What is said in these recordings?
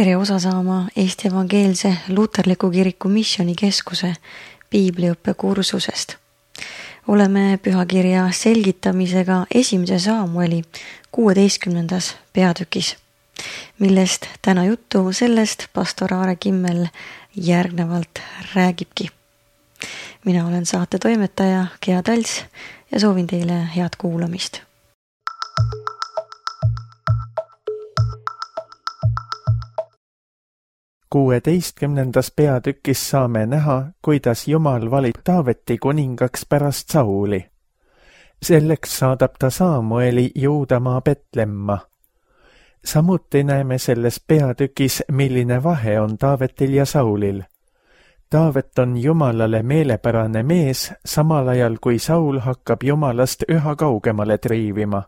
Tere osa saama Eesti Evangeelse Luterliku Kiriku Missioonikeskuse piibliõppe kursusest. Oleme pühakirja selgitamisega 1. Saamueli 16. peatükis, millest täna juttu sellest pastor Aare Kimmel järgnevalt räägibki. Mina olen saate toimetaja Gea Tals ja soovin teile head kuulamist. Kuueteistkümnendas peatükis saame näha, kuidas Jumal valib Taaveti kuningaks pärast Sauli. Selleks saadab ta Saamueli Juudamaa Betlemma. Samuti näeme selles peatükis, milline vahe on Taavetil ja Saulil. Taavet on Jumalale meelepärane mees, samal ajal kui Saul hakkab Jumalast üha kaugemale triivima.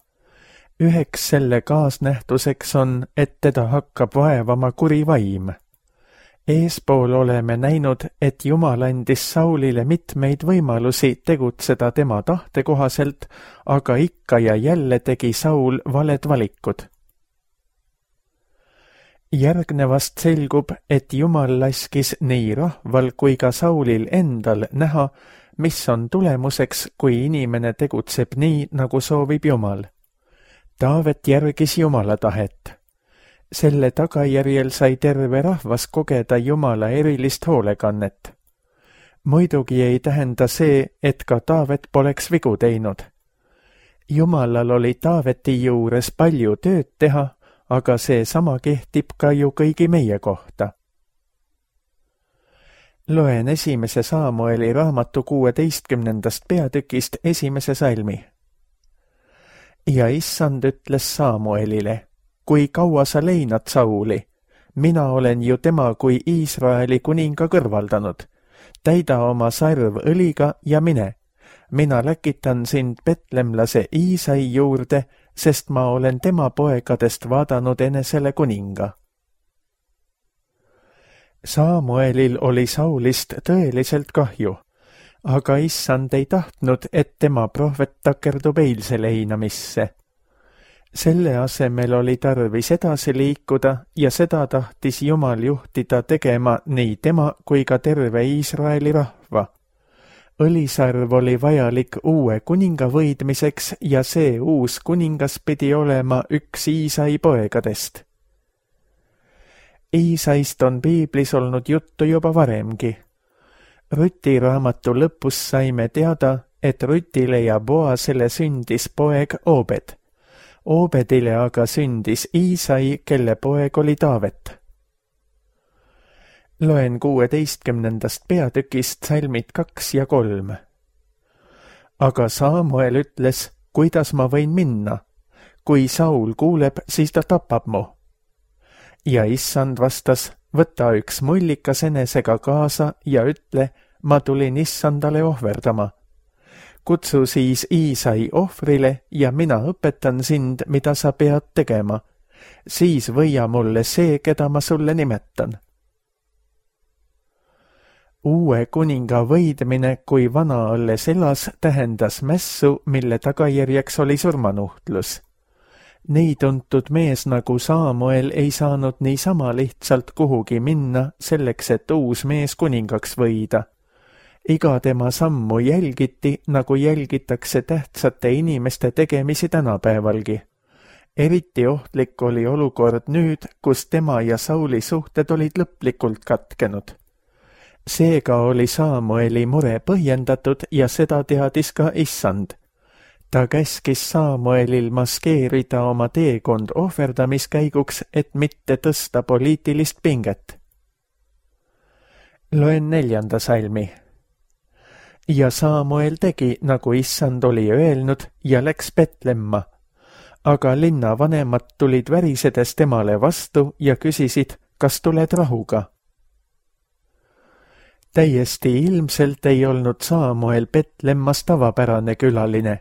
Üheks selle kaasnähtuseks on, et teda hakkab vaevama kuri vaim. Eespool oleme näinud, et Jumal andis Saulile mitmeid võimalusi tegutseda tema tahte kohaselt, aga ikka ja jälle tegi Saul valed valikud. Järgnevast selgub, et Jumal laskis nii rahval kui ka Saulil endal näha, mis on tulemuseks, kui inimene tegutseb nii, nagu soovib Jumal. Taavet järgis Jumala tahet. Selle tagajärjel sai terve rahvas kogeda Jumala erilist hoolekannet. Muidugi ei tähenda see, et ka Taavet poleks vigu teinud. Jumalal oli Taaveti juures palju tööd teha, aga see sama kehtib ka ju kõigi meie kohta. Loen 1. Saamueli raamatu 16. peatükist 1. salmi. Ja issand ütles Saamuelile: kui kaua sa leinad Sauli? Mina olen ju tema kui Iisraeli kuninga kõrvaldanud. Täida oma sarv õliga ja mine. Mina läkitan sind betlemlase Iisai juurde, sest ma olen tema poegadest vaadanud enesele kuninga. Saamuelil oli Saulist tõeliselt kahju, aga issand ei tahtnud, et tema prohvet takerdub eilse leinamisse. Selle asemel oli tarvis edasi liikuda ja seda tahtis Jumal juhtida tegema nii tema kui ka terve Iisraeli rahva. Õlisarv oli vajalik uue kuninga võidmiseks ja see uus kuningas pidi olema üks Iisai poegadest. Iisaist on piiblis olnud juttu juba varemgi. Ruti raamatu lõpus saime teada, et Rutile ja Boasele sündis poeg Obed. Obedile aga sündis Iisai, kelle poeg oli Taavet. Loen 16. peatükist salmid 2 ja 3. Aga Saamuel ütles: kuidas ma võin minna? Kui Saul kuuleb, siis ta tapab mu. Ja issand vastas: võta üks mullikas enesega kaasa ja ütle: ma tulin issandale ohverdama. Kutsu siis Iisai ohvrile ja mina õpetan sind, mida sa pead tegema. Siis võia mulle see, keda ma sulle nimetan. Uue kuninga võidmine, kui vana alles elas, tähendas mässu, mille tagajärjeks oli surmanuhtlus. Nii tuntud mees nagu Saamuel ei saanud niisama lihtsalt kuhugi minna selleks, et uus mees kuningaks võida. Iga tema sammu jälgiti, nagu jälgitakse tähtsate inimeste tegemisi tänapäevalgi. Eriti ohtlik oli olukord nüüd, kus tema ja Sauli suhted olid lõplikult katkenud. Seega oli Saamueli mure põhjendatud ja seda teadis ka issand. Ta käskis Saamuelil maskeerida oma teekond ohverdamiskäiguks, et mitte tõsta poliitilist pinget. Loen 4. salmi. Ja Saamuel tegi, nagu issand oli öelnud, ja läks Betlemma. Aga linna vanemad tulid värisedes temale vastu ja küsisid, kas tuled rahuga. Täiesti ilmselt ei olnud Saamuel Betlemmas tavapärane külaline.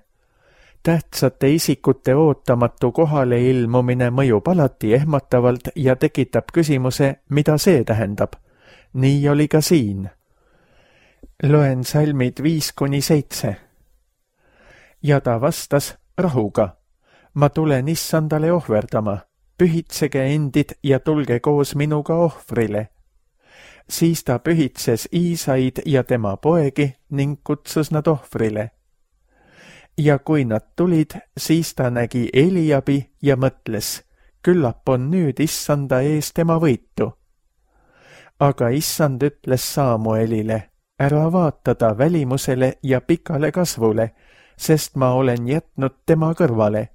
Tähtsate isikute ootamatu kohale ilmumine mõjub alati ehmatavalt ja tekitab küsimuse, mida see tähendab. Nii oli ka siin. Loen salmid 5-7. Ja ta vastas: rahuga. Ma tulen issandale ohverdama. pühitsege endid ja tulge koos minuga ohvrile. Siis ta pühitses Iisaid ja tema poegi ning kutsus nad ohvrile. Ja kui nad tulid, siis ta nägi Eliabi ja mõtles, küllap on nüüd issanda ees tema võitu. Aga issand ütles Samuelile, ära vaata ta välimusele ja pikale kasvule, sest ma olen jätnud tema kõrvale.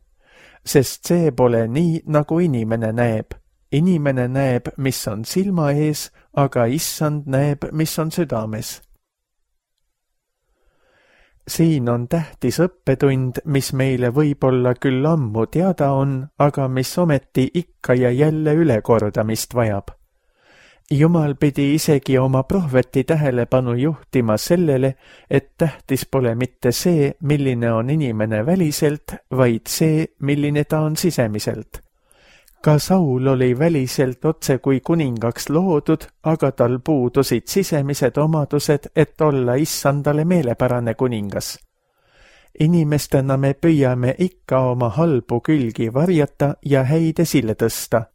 Sest see pole nii, nagu inimene näeb. Inimene näeb, mis on silma ees, aga issand näeb, mis on südames. Siin on tähtis õppetund, mis meile võib-olla küll ammu teada on, aga mis ometi ikka ja jälle ülekordamist vajab. Jumal pidi isegi oma prohveti tähelepanu juhtima sellele, et tähtis pole mitte see, milline on inimene väliselt, vaid see, milline ta on sisemiselt. Ka Saul oli väliselt otse kui kuningaks loodud, aga tal puudusid sisemised omadused, et olla issandale meelepärane kuningas. Inimestena me püüame ikka oma halbu külgi varjata ja häid esile tõsta.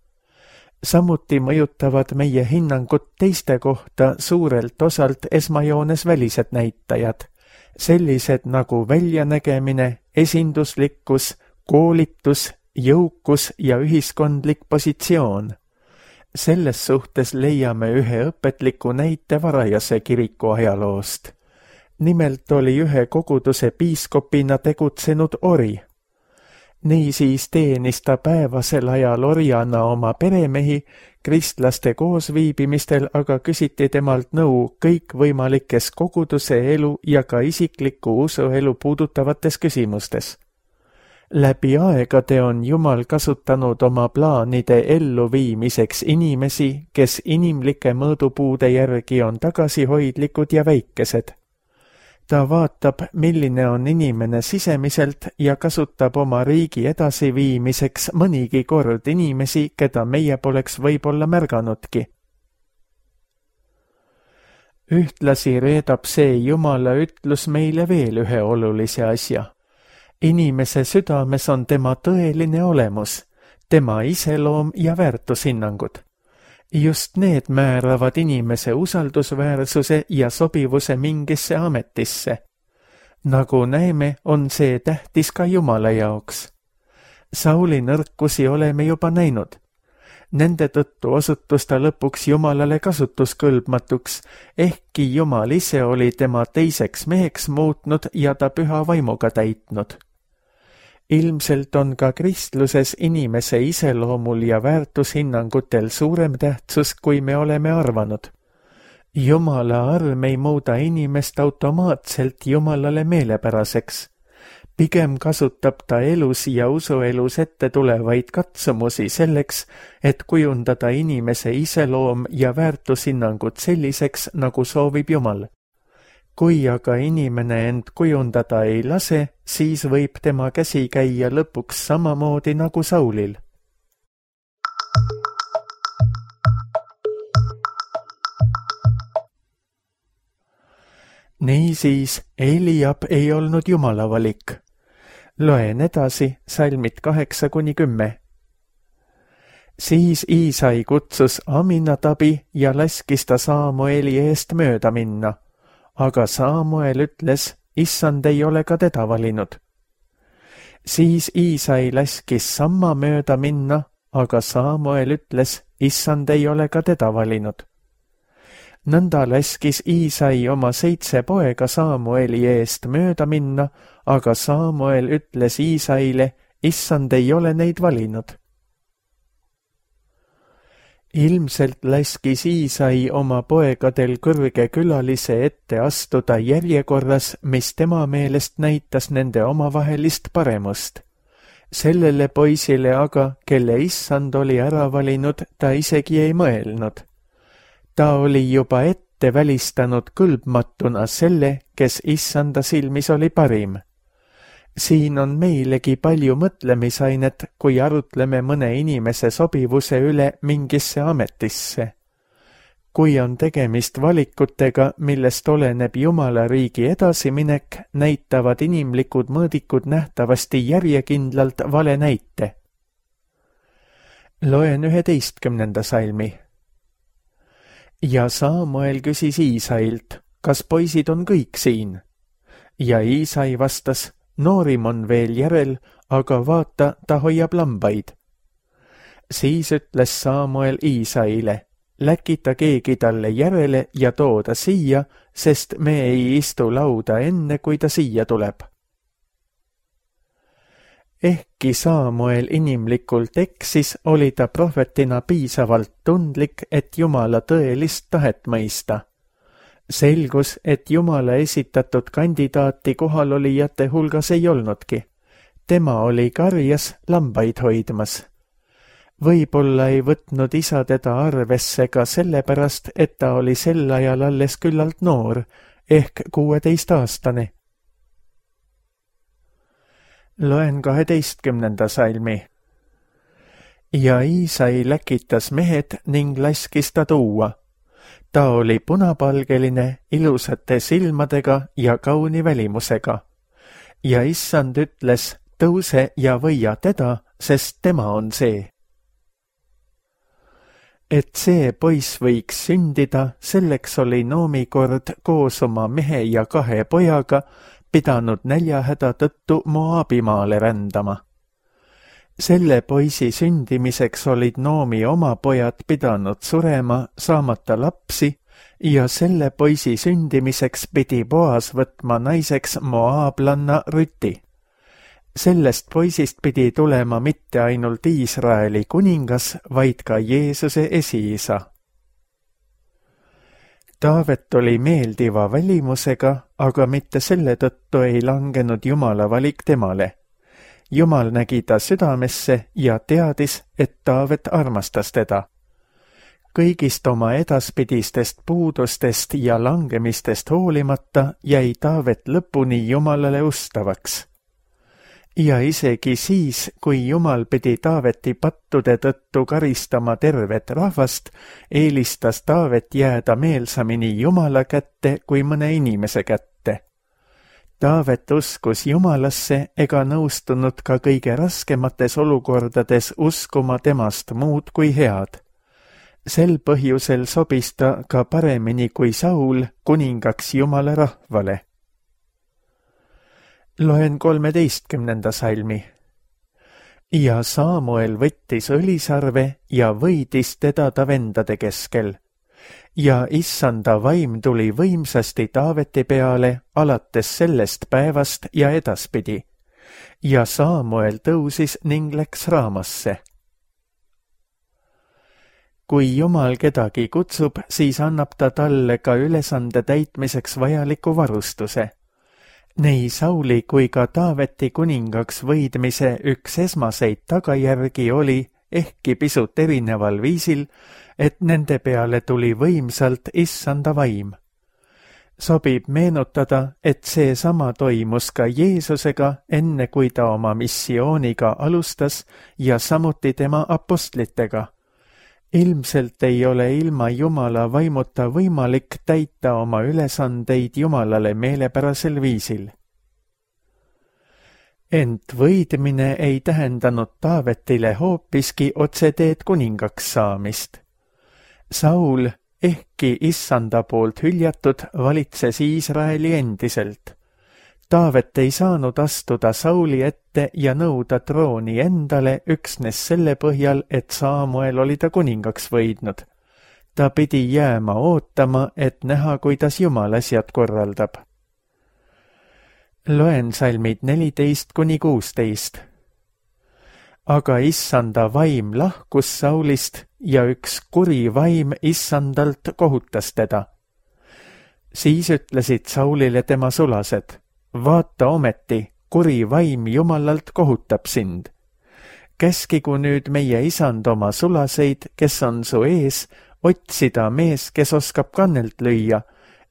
Samuti mõjutavad meie hinnangut teiste kohta suurelt osalt esmajoones välised näitajad, sellised nagu väljanägemine, esinduslikkus, koolitus, jõukus ja ühiskondlik positsioon. Selles suhtes leiame ühe õpetliku näite varajase kiriku ajaloost. Nimelt oli ühe koguduse piiskopina tegutsenud ori. Niisiis teenis ta päevasel ajal orjana oma peremehi, kristlaste koosviibimistel aga küsiti temalt nõu kõikvõimalikes koguduse elu ja ka isikliku usuelu puudutavates küsimustes. Läbi aegade on Jumal kasutanud oma plaanide elluviimiseks inimesi, kes inimlike mõõdupuude järgi on tagasihoidlikud ja väikesed. Ta vaatab, milline on inimene sisemiselt ja kasutab oma riigi edasiviimiseks mõnigi kord inimesi, keda meie poleks võib-olla märganudki. Ühtlasi reedab see Jumala ütlus meile veel ühe olulise asja. Inimese südames on tema tõeline olemus, tema iseloom ja väärtushinnangud. Just need määravad inimese usaldusväärsuse ja sobivuse mingisse ametisse. Nagu näeme, on see tähtis ka Jumala jaoks. Sauli nõrkusi oleme juba näinud. Nende tõttu osutus ta lõpuks Jumalale kasutuskõlbmatuks, ehkki Jumal ise oli tema teiseks meheks muutnud ja ta püha vaimuga täitnud. Ilmselt on ka kristluses inimese iseloomul ja väärtushinnangutel suurem tähtsus, kui me oleme arvanud. Jumala arm ei muuda inimest automaatselt Jumalale meelepäraseks. Pigem kasutab ta elus ja usuelus ette tulevaid katsumusi selleks, et kujundada inimese iseloom ja väärtushinnangud selliseks, nagu soovib Jumal. Kui aga inimene end kujundada ei lase, siis võib tema käsi käia lõpuks samamoodi nagu Saulil. Niisiis, Eliab ei olnud Jumala valik. Loen edasi salmid 8-10. Siis Iisai kutsus Aminadabi ja laskis ta Samueli eest mööda minna. Aga Samuel ütles, issand ei ole ka teda valinud. Siis Iisai laskis samma mööda minna, aga Samuel ütles, issand ei ole ka teda valinud. Nõnda laskis Iisai oma 7 poega Samueli eest mööda minna, aga Samuel ütles Iisaile, issand ei ole neid valinud. Ilmselt laskis Iisai oma poegadel kõrge külalise ette astuda järjekorras, mis tema meelest näitas nende omavahelist paremust. Sellele poisile aga, kelle issand oli ära valinud, ta isegi ei mõelnud. Ta oli juba ette välistanud kõlbmatuna selle, kes issanda silmis oli parim. Siin on meilegi palju mõtlemisainet, kui arutleme mõne inimese sobivuse üle mingisse ametisse. Kui on tegemist valikutega, millest oleneb Jumala riigi edasiminek, näitavad inimlikud mõõdikud nähtavasti järjekindlalt vale näite. Loen 11. salmi. Ja Saamuel küsis Iisailt, kas poisid on kõik siin? Ja Iisai vastas, noorim on veel järel, aga vaata, ta hoiab lambaid. Siis ütles Saamuel Iisaile, läkita keegi talle järele ja too ta siia, sest me ei istu lauda enne, kui ta siia tuleb. Ehkki Saamuel inimlikult eksis, oli ta prohvetina piisavalt tundlik, et Jumala tõelist tahet mõista. Selgus, et Jumala esitatud kandidaati kohalolijate hulgas ei olnudki. Tema oli karjas lambaid hoidmas. Võib-olla ei võtnud isa teda arvesse ka sellepärast, et ta oli sel ajal alles küllalt noor, ehk 16-aastane. Loen 12. salmi. Ja Iisai läkitas mehed ning laskis ta tuua. Ta oli punapalgeline, ilusate silmadega ja kauni välimusega. Ja issand ütles, tõuse ja võia teda, sest tema on see. Et see poiss võiks sündida, selleks oli Noomi kord koos oma mehe ja 2 pojaga pidanud näljahäda tõttu Moabimaale rändama. Selle poisi sündimiseks olid Noomi oma pojad pidanud surema, saamata lapsi, ja selle poisi sündimiseks pidi Boas võtma naiseks moaablanna Rüti. Sellest poisist pidi tulema mitte ainult Iisraeli kuningas, vaid ka Jeesuse esiisa. Taavet oli meeldiva välimusega, aga mitte selle tõttu ei langenud Jumala valik temale. Jumal nägi ta südamesse ja teadis, et Taavet armastas teda. Kõigist oma edaspidistest puudustest ja langemistest hoolimata jäi Taavet lõpuni Jumalale ustavaks. Ja isegi siis, kui Jumal pidi Taaveti pattude tõttu karistama tervet rahvast, eelistas Taavet jääda meelsamini Jumala kätte kui mõne inimese kätte. Taavet uskus Jumalasse ega nõustunud ka kõige raskemates olukordades uskuma temast muud kui head. Sel põhjusel sobis ta ka paremini kui Saul kuningaks Jumala rahvale. Loen 13. salmi. Ja Saamuel võttis õlisarve ja võidis teda ta vendade keskel. Ja issanda vaim tuli võimsasti Taaveti peale alates sellest päevast ja edaspidi. Ja Saamuel tõusis ning läks Raamasse. Kui Jumal kedagi kutsub, siis annab ta talle ka ülesande täitmiseks vajaliku varustuse. Nii Sauli kui ka Taaveti kuningaks võidmise üks esmaseid tagajärgi oli, ehkki pisut erineval viisil, et nende peale tuli võimsalt issanda vaim. Sobib meenutada, et seesama toimus ka Jeesusega, enne kui ta oma missiooniga alustas ja samuti tema apostlitega. Ilmselt ei ole ilma Jumala vaimuta võimalik täita oma ülesandeid Jumalale meelepärasel viisil. Ent võidmine ei tähendanud Taavetile hoopiski otseteed kuningaks saamist. Saul, ehkki issanda poolt hüljatud, valitses Iisraeli endiselt. Taavet ei saanud astuda Sauli ette ja nõuda trooni endale üksnes selle põhjal, et Saamuel oli ta kuningaks võidnud. Ta pidi jääma ootama, et näha, kuidas Jumal asjad korraldab. Loen salmid 14–16. Aga issanda vaim lahkus Saulist ja üks kuri vaim issandalt kohutas teda. Siis ütlesid Saulile tema sulased, vaata ometi, kuri vaim Jumalalt kohutab sind. Käskigu nüüd meie isand oma sulaseid, kes on su ees, otsida mees, kes oskab kannelt lüüa,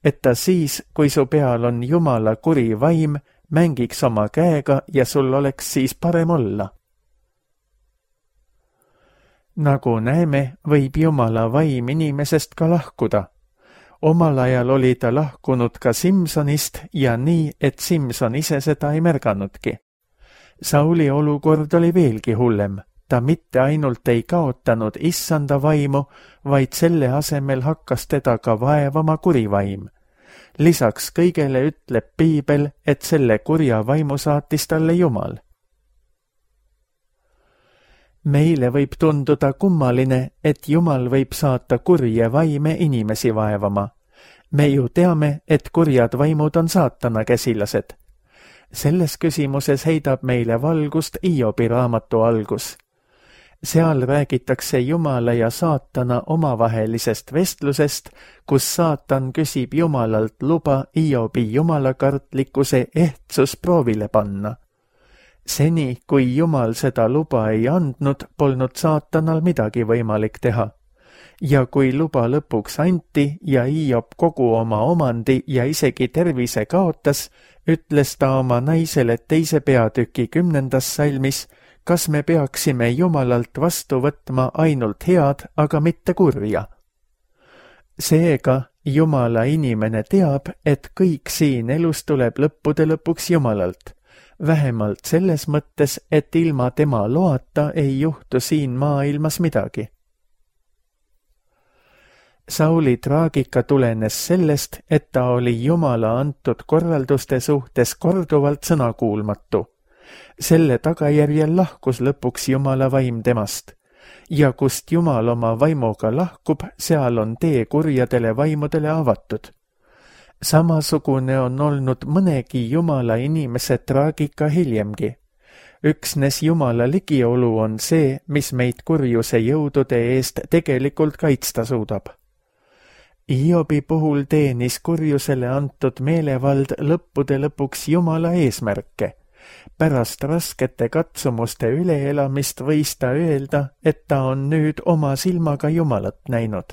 et ta siis, kui su peal on Jumala kuri vaim, mängiks oma käega ja sul oleks siis parem olla. Nagu näeme, võib Jumala vaim inimesest ka lahkuda. Omal ajal oli ta lahkunud ka Simsonist ja nii, et Simson ise seda ei märganudki. Sauli olukord oli veelgi hullem. ta mitte ainult ei kaotanud issanda vaimu, vaid selle asemel hakkas teda ka vaevama kuri vaim. Lisaks kõigele ütleb piibel, et selle kurja vaimu saatis talle Jumal. Meile võib tunduda kummaline, et Jumal võib saata kurje vaime inimesi vaevama. Me ju teame, et kurjad vaimud on saatana käsilased. Selles küsimuses heidab meile valgust Hiobi raamatu algus. Seal räägitakse Jumala ja saatana omavahelisest vestlusest, kus saatan küsib Jumalalt luba Hiobi jumalakartlikkuse ehtsus proovile panna. Seni, kui Jumal seda luba ei andnud, polnud saatanal midagi võimalik teha. Ja kui luba lõpuks anti ja Hiob kogu oma omandi ja isegi tervise kaotas, ütles ta oma naisele 2. peatüki 10. salmis, kas me peaksime Jumalalt vastu võtma ainult head, aga mitte kurja. Seega Jumala inimene teab, et kõik siin elus tuleb lõppude lõpuks Jumalalt. Vähemalt selles mõttes, et ilma tema loata ei juhtu siin maailmas midagi. Sauli traagika tulenes sellest, et ta oli Jumala antud korralduste suhtes korduvalt sõnakuulmatu. Selle tagajärjel lahkus lõpuks Jumala vaim temast. Ja kust Jumal oma vaimuga lahkub, seal on tee kurjadele vaimudele avatud. Samasugune on olnud mõnegi Jumala inimese traagika hiljemgi. Üksnes Jumala ligiolu on see, mis meid kurjuse jõudude eest tegelikult kaitsta suudab. Hiobi puhul teenis kurjusele antud meelevald lõppude lõpuks Jumala eesmärke. Pärast raskete katsumuste üleelamist võis ta öelda, et ta on nüüd oma silmaga Jumalat näinud.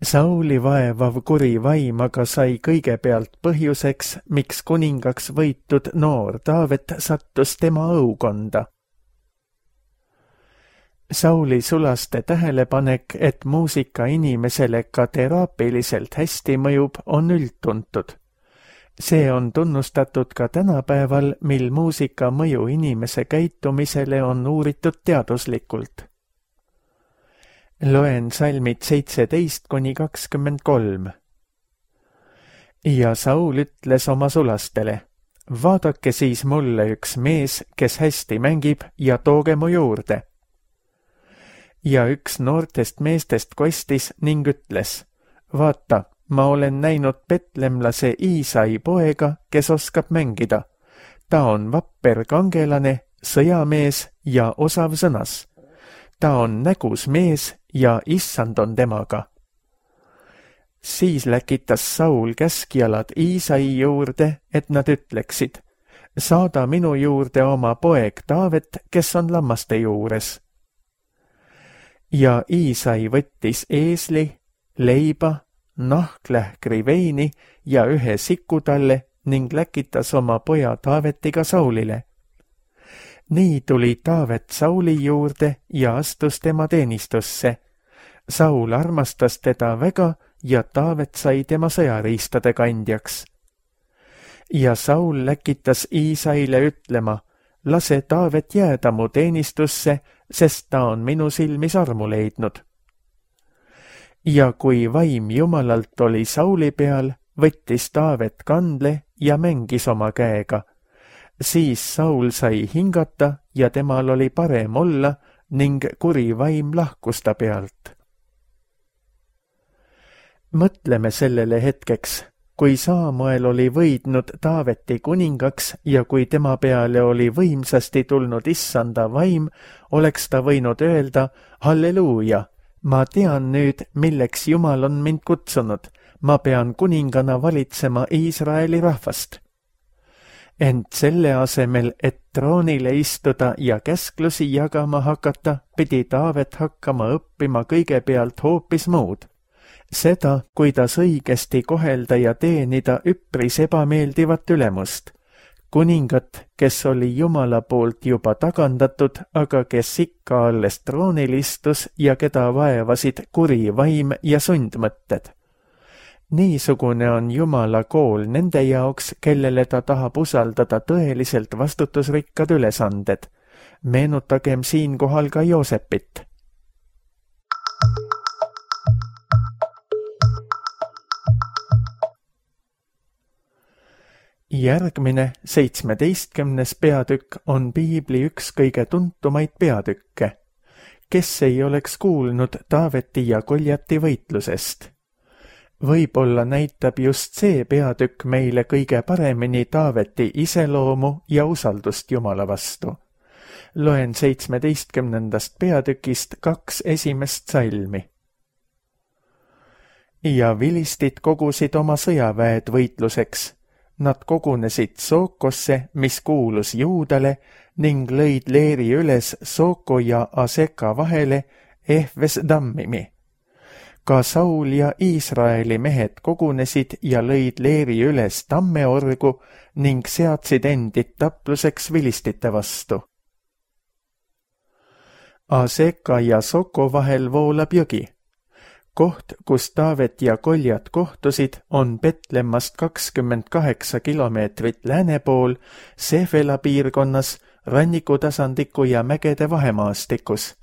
Sauli vaevav kuri vaim aga sai kõigepealt põhjuseks, miks kuningaks võitud noor Taavet sattus tema õukonda. Sauli sulaste tähelepanek, et muusika inimesele ka teraapiliselt hästi mõjub, on üldtuntud. See on tunnustatud ka tänapäeval, mil muusika mõju inimese käitumisele on uuritud teaduslikult. Loen salmid 17-23. Ja Saul ütles oma sulastele, vaadake siis mulle üks mees, kes hästi mängib, ja tooge mu juurde. Ja üks noortest meestest kostis ning ütles, vaata, ma olen näinud petlemlase Iisai poega, kes oskab mängida. Ta on vapper kangelane, sõjamees ja osav sõnas. Ta on nägus mees ja issand on temaga. Siis läkitas Saul käskjalad Iisai juurde, et nad ütleksid, saada minu juurde oma poeg Taavet, kes on lammaste juures. Ja Iisai võttis eesli, leiba, nahklähkri veini ja ühe siku talle ning läkitas oma poja Taavetiga Saulile. Nii tuli Taavet Sauli juurde ja astus tema teenistusse. Saul armastas teda väga ja Taavet sai tema sõjariistade kandjaks. Ja Saul läkitas Iisaile ütlema, lase Taavet jääda mu teenistusse, sest ta on minu silmis armu leidnud. Ja kui vaim Jumalalt oli Sauli peal, võttis Taavet kandle ja mängis oma käega. Siis Saul sai hingata ja temal oli parem olla ning kuri vaim lahkus ta pealt. Mõtleme sellele hetkeks, kui Saamuel oli võidnud Taaveti kuningaks ja kui tema peale oli võimsasti tulnud issanda vaim, oleks ta võinud öelda, halleluuja, ma tean nüüd, milleks Jumal on mind kutsunud, ma pean kuningana valitsema Iisraeli rahvast. Ent selle asemel, et troonile istuda ja käsklusi jagama hakata, pidi Taavet hakkama õppima kõigepealt hoopis muud. Seda, kuidas õigesti kohelda ja teenida üpris ebameeldivat ülemust. Kuningat, kes oli Jumala poolt juba tagandatud, aga kes ikka alles troonil istus ja keda vaevasid kuri vaim ja sundmõtted. Niisugune on Jumala kool nende jaoks, kellele ta tahab usaldada tõeliselt vastutusrikkad ülesanded. Meenutagem siinkohal ka Joosepit. Järgmine 17. peatükk on piibli üks kõige tuntumaid peatükke. Kes ei oleks kuulnud Taaveti ja Goljati võitlusest? Võib-olla näitab just see peatükk meile kõige paremini Taaveti iseloomu ja usaldust Jumala vastu. Loen 17. peatükist 2 esimest salmi. Ja vilistid kogusid oma sõjaväed võitluseks. Nad kogunesid Sookosse, mis kuulus Juudale, ning lõid leeri üles Sooko ja Aseka vahele Ehves Dammimi. Ka Saul ja Iisraeli mehed kogunesid ja lõid leeri üles Tammeorgu ning seadsid endid tapluseks vilistite vastu. Aseka ja Soko vahel voolab jõgi. Koht, kus Taavet ja Goljat kohtusid, on Betlemmast 28 kilomeetrit lääne pool, Sefela piirkonnas, rannikutasandikku ja mägede vahemaastikus.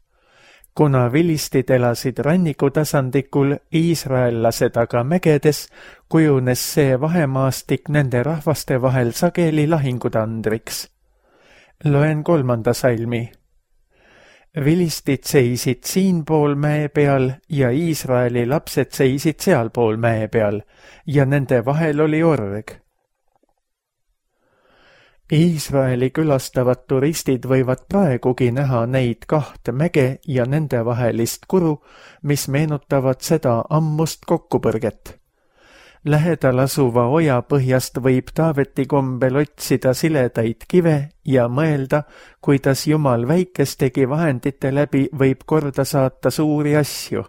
Kuna vilistid elasid rannikutasandikul, iisraellased aga mägedes, kujunes see vahemaastik nende rahvaste vahel sageli lahingutandriks. Loen 3. salmi. Vilistid seisid siinpool mäe peal ja Iisraeli lapsed seisid sealpool mäe peal ja nende vahel oli org. Iisraeli külastavad turistid võivad praegugi näha neid 2 mäge ja nende vahelist kuru, mis meenutavad seda ammust kokkupõrget. Lähedal asuva oja põhjast võib Taaveti kombel otsida siledaid kive ja mõelda, kuidas Jumal väikestegi vahendite läbi võib korda saata suuri asju.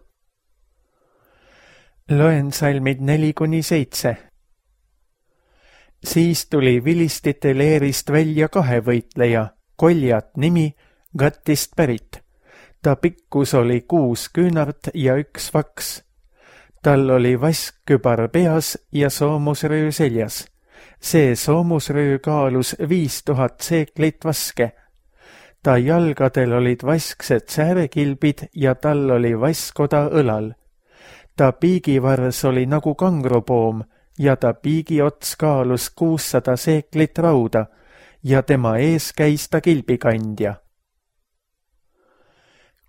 Loen salmid 4-7. Siis tuli vilistite leerist välja 2 võitleja, Goljat nimi, Gatist pärit. Ta pikkus oli 6 küünart ja 1 vaks. Tal oli vaskkübar peas ja soomusröö seljas. See soomusröö kaalus 5000 seeklit vaske. Ta jalgadel olid vasksed säärekilbid ja tal oli vaskoda õlal. Ta piigivars oli nagu kangrupoom ja ta piigiots kaalus 600 seeklit rauda ja tema ees käis ta kilbikandja.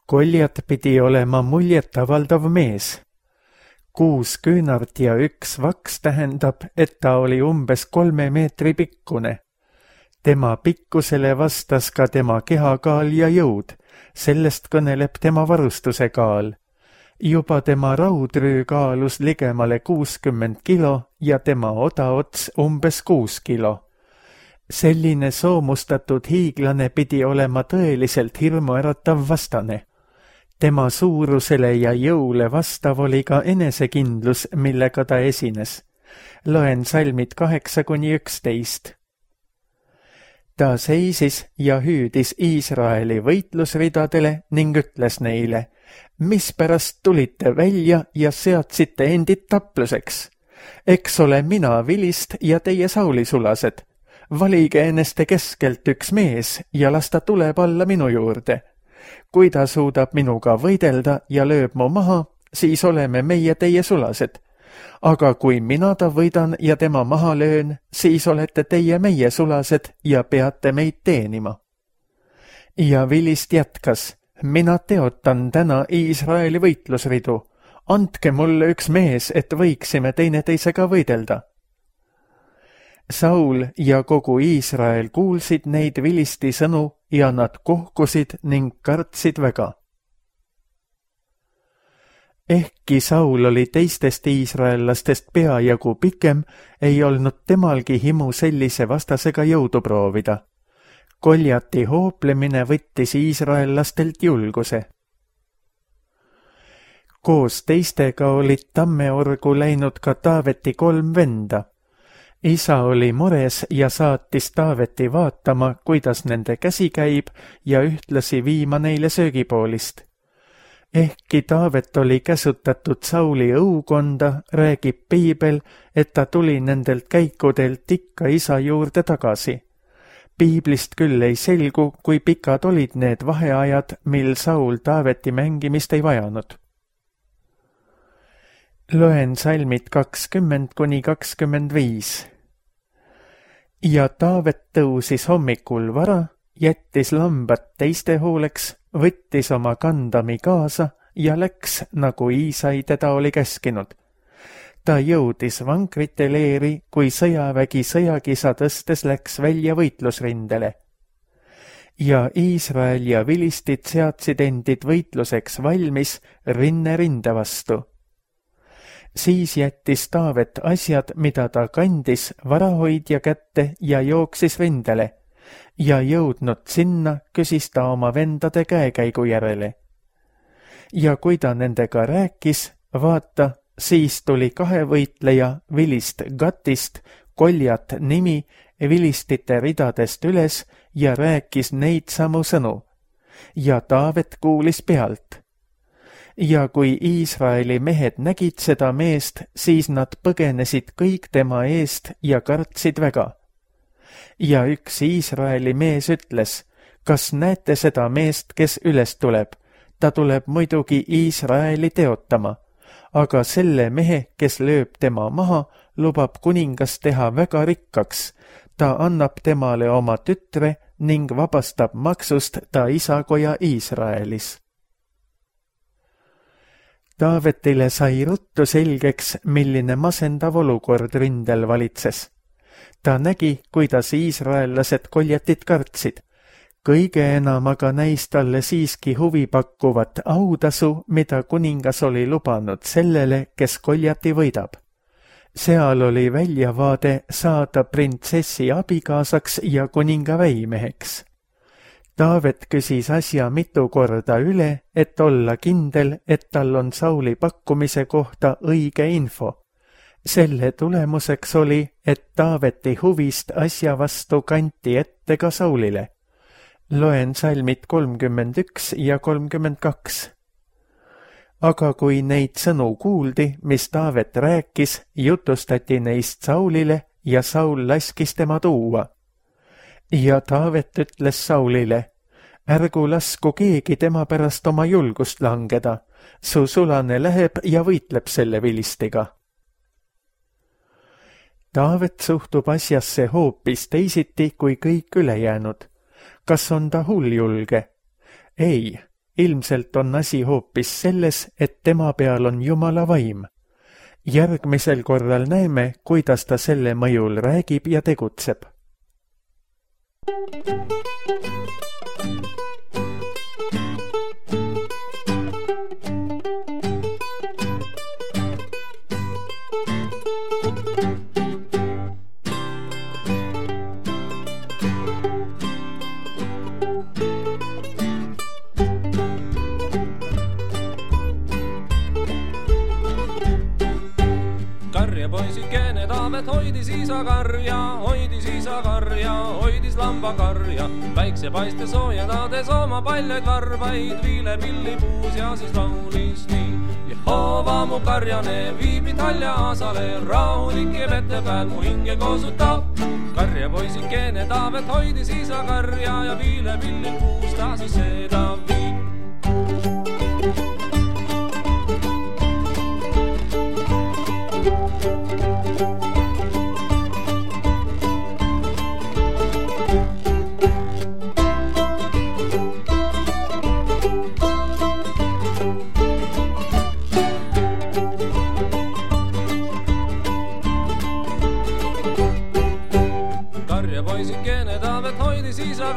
Goljat pidi olema muljetavaldav mees. 6 küünart ja 1 vaks tähendab, et ta oli umbes 3 meetri pikkune. Tema pikkusele vastas ka tema kehakaal ja jõud, sellest kõneleb tema varustuse kaal. Juba tema raudrüü kaalus ligemale 60 kilo ja tema odaots umbes 6 kilo. Selline soomustatud hiiglane pidi olema tõeliselt hirmuäratav vastane. Tema suurusele ja jõule vastav oli ka enesekindlus, millega ta esines. Loen salmid 8-11. Ta seisis ja hüüdis Iisraeli võitlusridadele ning ütles neile, mispärast tulite välja ja seadsite endid tapluseks? Eks ole mina vilist ja teie Sauli-sulased. Valige enneste keskelt 1 mees ja las ta tuleb alla minu juurde. Kui ta suudab minuga võidelda ja lööb mu maha, siis oleme meie teie sulased. Aga kui mina ta võidan ja tema maha löön, siis olete teie meie sulased ja peate meid teenima. Ja vilist jätkas, mina teotan täna Iisraeli võitlusridu. Andke mulle 1 mees, et võiksime teineteisega võidelda. Saul ja kogu Iisrael kuulsid neid vilisti sõnu ja nad kohkusid ning kartsid väga. Ehkki Saul oli teistest iisraellastest peajagu pikem, ei olnud temalgi himu sellise vastasega jõudu proovida. Goljati hooplemine võttis iisraellastelt julguse. Koos teistega olid Tammeorgu läinud ka Taaveti 3 venda. Isa oli mures ja saatis Taaveti vaatama, kuidas nende käsi käib ja ühtlasi viima neile söögipoolist. Ehkki Taavet oli käsutatud Sauli õukonda, räägib piibel, et ta tuli nendelt käikudelt ikka isa juurde tagasi. Piiblist küll ei selgu, kui pikad olid need vaheajad, mil Saul Taaveti mängimist ei vajanud. Loen salmid 20–25. Ja Taavet tõusis hommikul vara, jättis lambad teiste hooleks, võttis oma kandami kaasa ja läks, nagu Iisai teda oli käskinud. Ta jõudis vankrite leeri, kui sõjavägi sõjakisa tõstes läks välja võitlusrindele. Ja Iisrael ja vilistid seadsid endid võitluseks valmis rinne rinde vastu. Siis jättis Taavet asjad, mida ta kandis, varahoidja kätte ja jooksis rindele. Ja jõudnud sinna, küsis ta oma vendade käekäigu järele. Ja kui ta nendega rääkis, vaata, siis tuli 2 võitleja vilist Gatist, Koljat nimi, vilistite ridadest üles ja rääkis neid samu sõnu. Ja Taavet kuulis pealt. Ja kui Iisraeli mehed nägid seda meest, siis nad põgenesid kõik tema eest ja kartsid väga. Ja üks Iisraeli mees ütles, kas näete seda meest, kes üles tuleb? Ta tuleb muidugi Iisraeli teotama, aga selle mehe, kes lööb tema maha, lubab kuningas teha väga rikkaks. Ta annab temale oma tütre ning vabastab maksust ta isakoja Iisraelis. Taavetile sai ruttu selgeks, milline masendav olukord rindel valitses. Ta nägi, kuidas iisraellased Koljatit kartsid. Kõige enam aga näis talle siiski huvipakkuvat autasu, mida kuningas oli lubanud sellele, kes Koljati võidab. Seal oli väljavaade saada printsessi abikaasaks ja kuninga väimeheks. Taavet küsis asja mitu korda üle, et olla kindel, et tal on Sauli pakkumise kohta õige info. Selle tulemuseks oli, et Taaveti huvist asja vastu kanti ette ka Saulile. Loen salmid 31 ja 32. Aga kui neid sõnu kuuldi, mis Taavet rääkis, jutustati neist Saulile ja Saul laskis tema tuua. Ja Taavet ütles Saulile, ärgu lasku keegi tema pärast oma julgust langeda, su sulane läheb ja võitleb selle vilistiga. Taavet suhtub asjasse hoopis teisiti kui kõik ülejäänud. Kas on ta hulljulge? Ei, ilmselt on asi hoopis selles, et tema peal on Jumala vaim. Järgmisel korral näeme, kuidas ta selle mõjul räägib ja tegutseb. Poisikene Taavet hoidis isa karja, hoidis lambakarja, päiksepaiste soojendades oma paljaid varbaid, viilepillipuus ja siis laulis nii. Jehova mu karjane viibid halja aasale, rahulike vette peal mu hinge koosutab. Karja poisikene Taavet hoidis isa karja ja viilepillipuus ta siis seda viib. Poisikene Taavet hoidis isa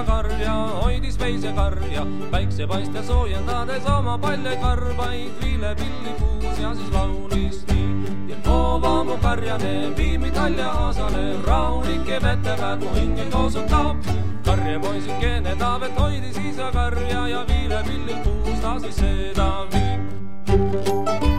karja, hoidis veisekarja, päiksepaiste soojendades oma paljaid varbaid, viilepillipuus ja siis laulis nii. Jehova mu karjane viimid halja aasale, rahulike vette peal mu hinge koosutab. Karja poisikene Taavet hoidis isa karja ja viilepillipuus ta siis seda viib.